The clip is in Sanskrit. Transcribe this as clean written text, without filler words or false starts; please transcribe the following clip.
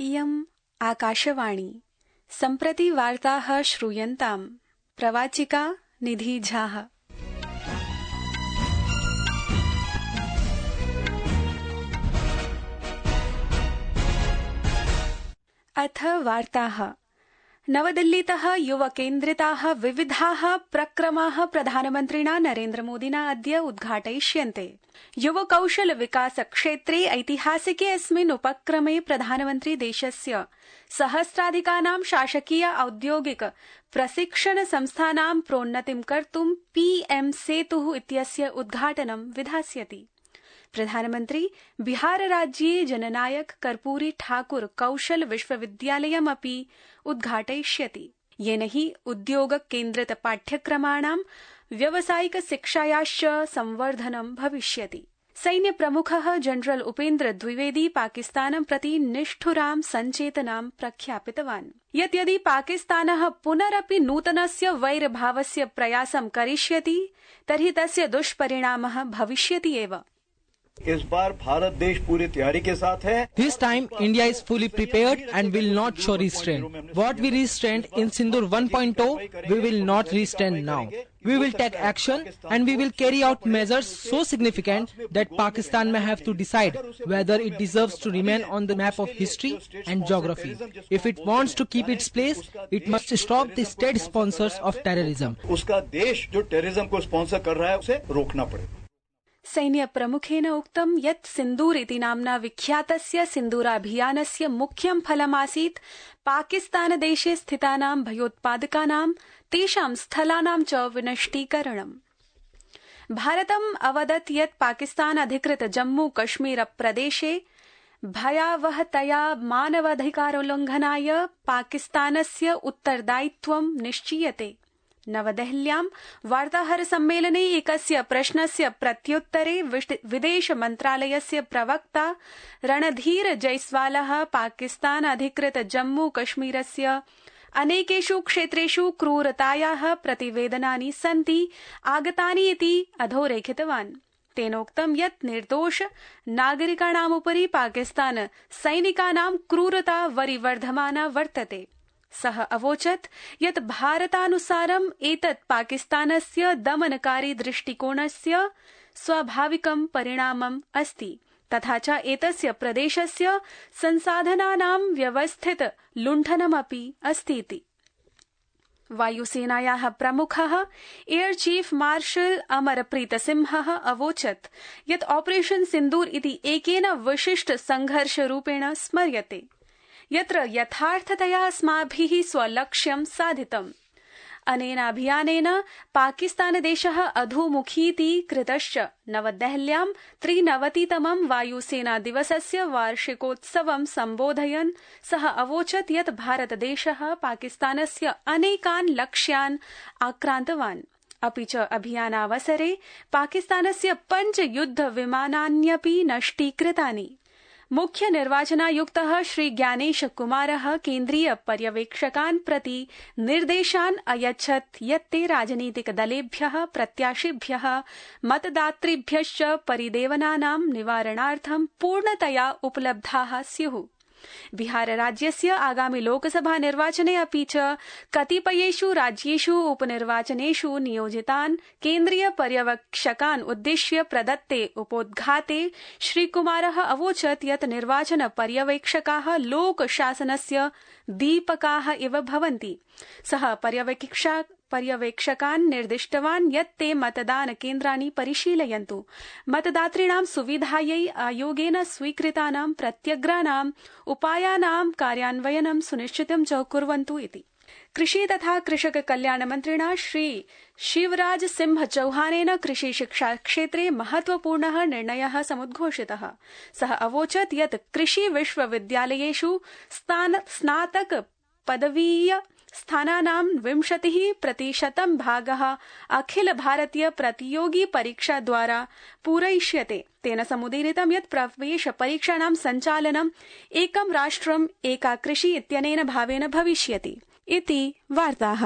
इयम् आकाशवाणी। सम्प्रति वार्ताः श्रूयन्ताम्। प्रवाचिका निधि झाः। अथ वार्ताः। नवदिल्लीतः युवकेन्द्रिताः विविधाः प्रक्रमाः प्रधानमन्त्रिणा नरेन्द्रमोदिना अद्य उद्घाटयिष्यन्ते। युवकौशल विकास क्षेत्रे ऐतिहासिके अस्मिन् उपक्रमे प्रधानमन्त्री देशस्य सहस्राधिकानां शासकीय औद्योगिक प्रशिक्षण संस्थानां प्रोन्नतिं कर्तुं पीएम सेतुः इत्यस्य उद्घाटनं विधास्यति। प्रधानमन्त्री बिहार राज्ये जननायक कर्पूरी ठाकुर कौशल विश्वविद्यालयमपि उद्घाटयिष्यति, येन हि उद्योग केन्द्रित पाठ्यक्रमाणां व्यावसायिक शिक्षायाश्च संवर्धनं भविष्यति। सैन्यप्रमुखः जनरल उपेन्द्र द्विवेदी पाकिस्तानं प्रति निष्ठुरां सञ्चेतनां प्रख्यापितवान् यत् यदि पाकिस्तानः पुनरपि नूतनस्य वैरभावस्य प्रयासं करिष्यति तर्हि तस्य दुष्परिणामः भविष्यति एव। इस बार भारत देश पूरी तैयारी के साथ है। This time India is fully prepared and will not show restraint. What we restrained in Sindoor 1.0, we will not restrain now. We will take action and we will carry out measures so significant that Pakistan may have to decide whether it deserves to remain on the map of history and geography. If it wants to keep its place, it must stop the state sponsors of terrorism. उसका देश जो टेररिज्म को स्पॉन्सर कर रहा है उसे रोकना पड़ेगा। सैन्य प्रमुखेन उक्तं यत् सिन्दूर इति नाम्ना विख्यातस्य सिन्दूराभियानस्य मुख्यं फलमासीत् पाकिस्तानदेशे स्थितानां भयोत्पादकानां तेषां स्थलानां च विनष्टीकरणम्। भारतम् अवदत् यत् पाकिस्तान अधिकृत जम्मू कश्मीर प्रदेशे भयावहतया मानवाधिकारोल्लंघनाय पाकिस्तानस्य उत्तरदायित्वं निश्चीयते। नवदेहल्यां वार्ताहर सम्मेलने एकस्य प्रश्नस्य प्रत्युत्तरे विदेश मन्त्रालयस्य प्रवक्ता रणधीर जयस्वालः पाकिस्तान अधिकृत जम्मू कश्मीरस्य अनेकेषु क्षेत्रेषु क्रूरतायाः प्रतिवेदनानि सन्ति आगतानि इति अधोरेखितवान्। तेनोक्तं यत् निर्दोष नागरिकाणामुपरि पाकिस्तान सैनिकानां क्रूरता वरिवर्धमाना वर्तते। सः अवोचत् यत् भारतानुसारम् एतत् पाकिस्तानस्य दमनकारी दृष्टिकोणस्य स्वाभाविकं परिणामम् अस्ति तथा च एतस्य प्रदेशस्य संसाधनानां व्यवस्थित लुण्ठनमपि अस्तीति। वायुसेनायाः प्रमुखः एयर चीफ मार्शल अमरप्रीत सिंहः अवोचत् यत् ऑपरेशन सिन्दूर इति एकेन विशिष्ट संघर्षरूपेण स्मर्यते यत्र यथार्थतया अस्माभिः स्वलक्ष्यं साधितम्। अनेन अभियानेन पाकिस्तानदेशः अधोमुखीति कृतश्च। नवदेहल्यां 93तमं वायुसेना दिवसस्य वार्षिकोत्सवं सम्बोधयन् सः अवोचत् यत् भारतदेशः पाकिस्तानस्य अनेकान् लक्ष्यान् आक्रान्तवान्। अपि च अभियानावसरे पाकिस्तानस्य 5 युद्धविमानान्यपि नष्टीकृतानि। मुख्य निर्वाचनायुक्तः श्री ज्ञानेश कुमारः केन्द्रीय पर्यवेक्षकान् प्रति निर्देशान् अयच्छत् यत् ते राजनीतिक दलेभ्यः प्रत्याशिभ्यः मतदातृभ्यश्च परिदेवनानां निवारणार्थं पूर्णतया उपलब्धाः स्युः। बिहार राज्यस्य आगामि लोकसभा निर्वाचने अपि च कतिपयेषु राज्येषु उपनिर्वाचनेषु नियोजितान् केन्द्रीय पर्यवेक्षकान् उद्दिश्य प्रदत्ते उपोद्घाते श्रीकुमारः अवोचत् यत् निर्वाचन पर्यवेक्षकाः लोकशासनस्य दीपकाः इव भवन्ति। सः पर्यवेक्षकान् निर्दिष्टवान् यत् ते मतदान केन्द्राणि परिशीलयन्तु, मतदातॄणां सुविधायै आयोगेन स्वीकृतानां प्रत्यग्राणां उपायानां कार्यान्वयनं सुनिश्चितं च कुर्वन्तु इति। कृषि तथा कृषक कल्याण मन्त्रिणा श्री शिवराज सिंह चौहानेन कृषि शिक्षा क्षेत्रे महत्वपूर्णः निर्णयः समुद्घोषितः। सः अवोचत् यत् कृषि विश्वविद्यालयेषु स्नातक पदवीय स्थानानां 20% भागः अखिल भारतीय प्रतियोगी परीक्षा द्वारा पूरयिष्यते। तेन समुदीरितं यत् प्रवेश परीक्षाणां सञ्चालनं एकं राष्ट्रम् एका कृषि इत्यनेन भावेन भविष्यति इति वार्ताः।